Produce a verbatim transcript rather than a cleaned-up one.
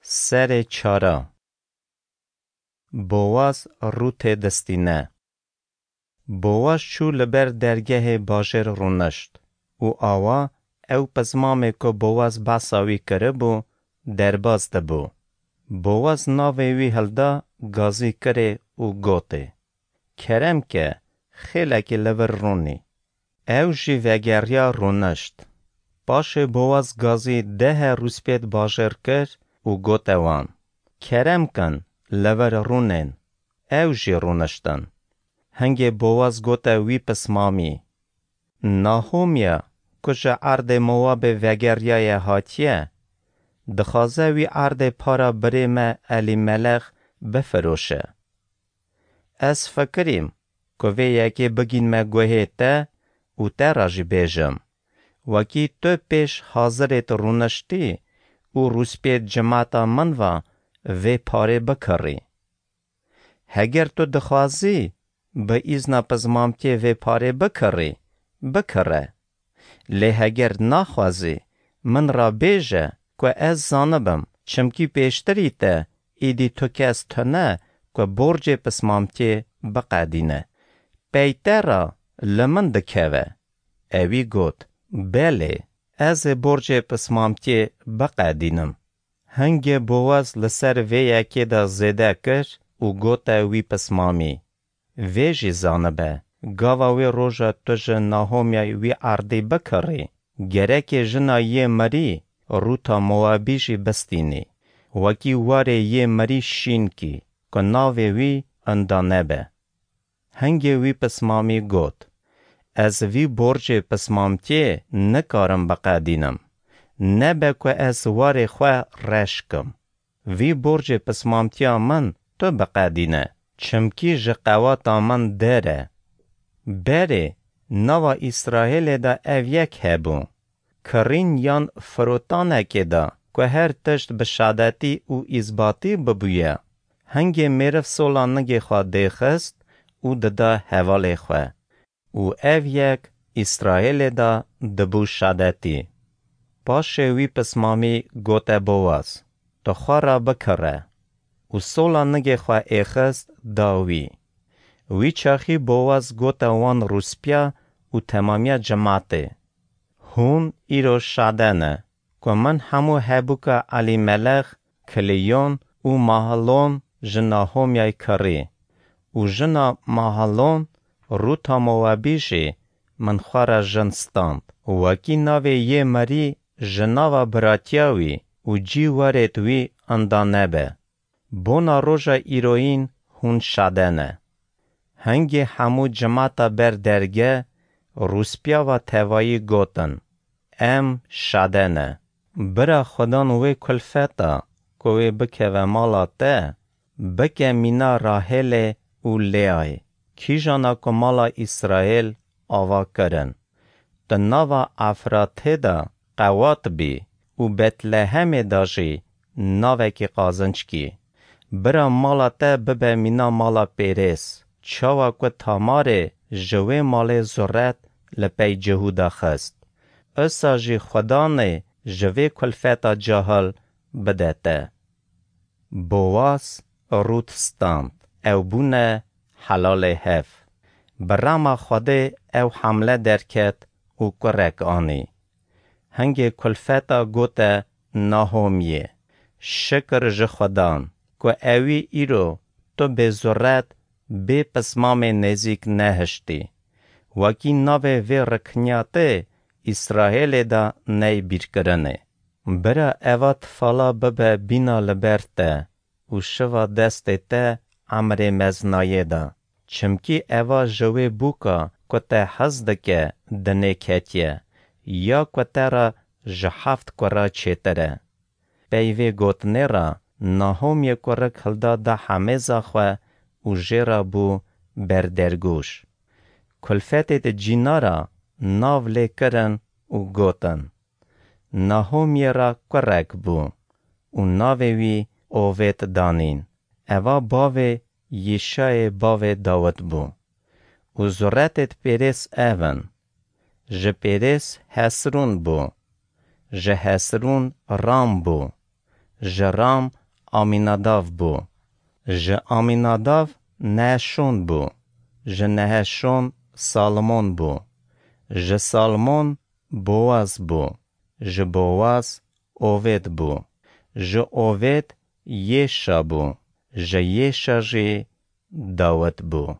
Serê çara. Bowaz Rûtê distîne. Bowaz çû li ber dergehê bajêr rûnişt û awa ew pizmamê ku Bowaz behsa wî kiribû, derbas dibû. Bowaz navê wî hilda gazî kirê û gotê, "Kerem ke, xêlekî li vir rûnî." Ew jî vegeriya rûnişt. Paşê Bowaz gazî dehe rûspêt bajêr kir û gote wan, "Kerem kin, li vir rûnên." Ew jî rûniştin. Hingê Bowaz gote wî pismamî, "Nahomya, ku ji erdê Mowabê vegeriyaye hatiye, dixwaze wî erdê para birê me Elîmelex bifiroşe. Ez fikirîm ku vê yekê bigînme guhê te û te re jî bêjim, wekî tu pêş hazirêt rûniştî û rûspêt cimata min va vê parê bikirî. Heger tu dixwazî bi îzna pizmamtiyê vê parê bikirî, bikire. Lê heger naxwazî, min ra bêje ku ez zanibim, çimkî pêştirî te êdî tu kes tune ku borcê pismamtiyê biqedîne. Pey te ra li min dikeve." Ewî got, "Belê, ez ê borcê pismamtiyê biqedînim." Hingê Bowaz li ser vê yekê de zêde kir û gote wî pismamî, "Vê jî zanibe, gava wê roja tu ji Nahomyayê wî erdî bikirî, gerekê jina yê mirî Rûta Mowabî jî bistînî, wekî warê yê mirî şîn kî, ku navê wî inda nebe." Hingê wî pismamî got, "Ez vî borcê pismamtiyê nikarim biqedînim. Nebe ku ez warê xwe reş kim. Vî borcê pismamtiya min tu biqedîne, çimkî ji qewata min der e. Berê, nava Îsraêlê de ev yek hebû. Kirîn yan firotanekê de ku her tişt bi şadetî û îzbatî bibûye. Hingê mêriv sola nigê xwe dêxist û dida hevalê xwe. Û ev yek Îsraêlê de dibû şadetî." Paşê wî pismamî gote Bowaz, "Tu xwe re bikire." Û sola nigê xwe êxist da wî. Wî çaxî Bowaz gote wan rûspîya û temamiya cimatê, "Hûn îro şade ne ku min hemû hebûka Elîmelex, Kiliyon û Mahlon ji Nahomyayê kirî û jina Mahlon, Rûta Mowabî jî min xwe re jin stand. Wekî navê yê mirî ji nava biratiya wî û cîwarêt wî inda nebe. Bona roja îroyîn hûn şade ne." Hingê hemû cimata ber derge rûspîya va tevayî gotin, "Em şade ne. Bira Xudan wê kulfeta ku wê bikeve mala te, bike mîna Rahêlê û Lêayê, kîjana ku mala Îsraêl ava kirin. Di nava Efratê de qewat bî û Betlehemê de jî navekî qazinc kî. Bira mala te bibe mîna mala Pêrês, çawa ku Tamarê ji wê malê zuret li pey Cihûda xist. Usa jî Xudanê ji vê kulfeta cahil bide te." Bowaz Rût stand, ew bûne helalê hev. Bi rema Xwedê ew hamle derket û kurek anî. Hingê kulfeta gote Nahomiyê, "Şikir ji Xudan ku ewî îro tu bêzuret bê pismamê nêzîk nehiştî, wekî navê vê rikniyatê Îsraêlê de ney bîrkirinê. Bira eva tifala bibe bîna li ber te û şiva destê te emrê meznayê de. Çimkî eva ji wê bûka ku te hez dike dinê ketiye, ya ku te re ji heft kura çêtir e." Pey vê gotinê re Nahomiyê kurik hilda da hemêza xwe û jê re bû berdergûş. Kulfetê di cîna re nav lê kirin û gotin, Nahomiyê re kurek bû û navê wî Ovêd danîn. Eva bavê Yîşayê bavê Dawid bû. Û zuretêd Pêrês ev in: ji Pêrês Hesrûn bû, ji Hesrûn Ram bû, ji Ram Amînadav bû. Ji Amînadav Neheşon bû. Ji Neheşon Salmon bû. Ji Salmon Boaz bû. Ji Boaz Ovêd bû. Ji Ovêd Yêşa bû. Ji Yêşa jî Dawid bû.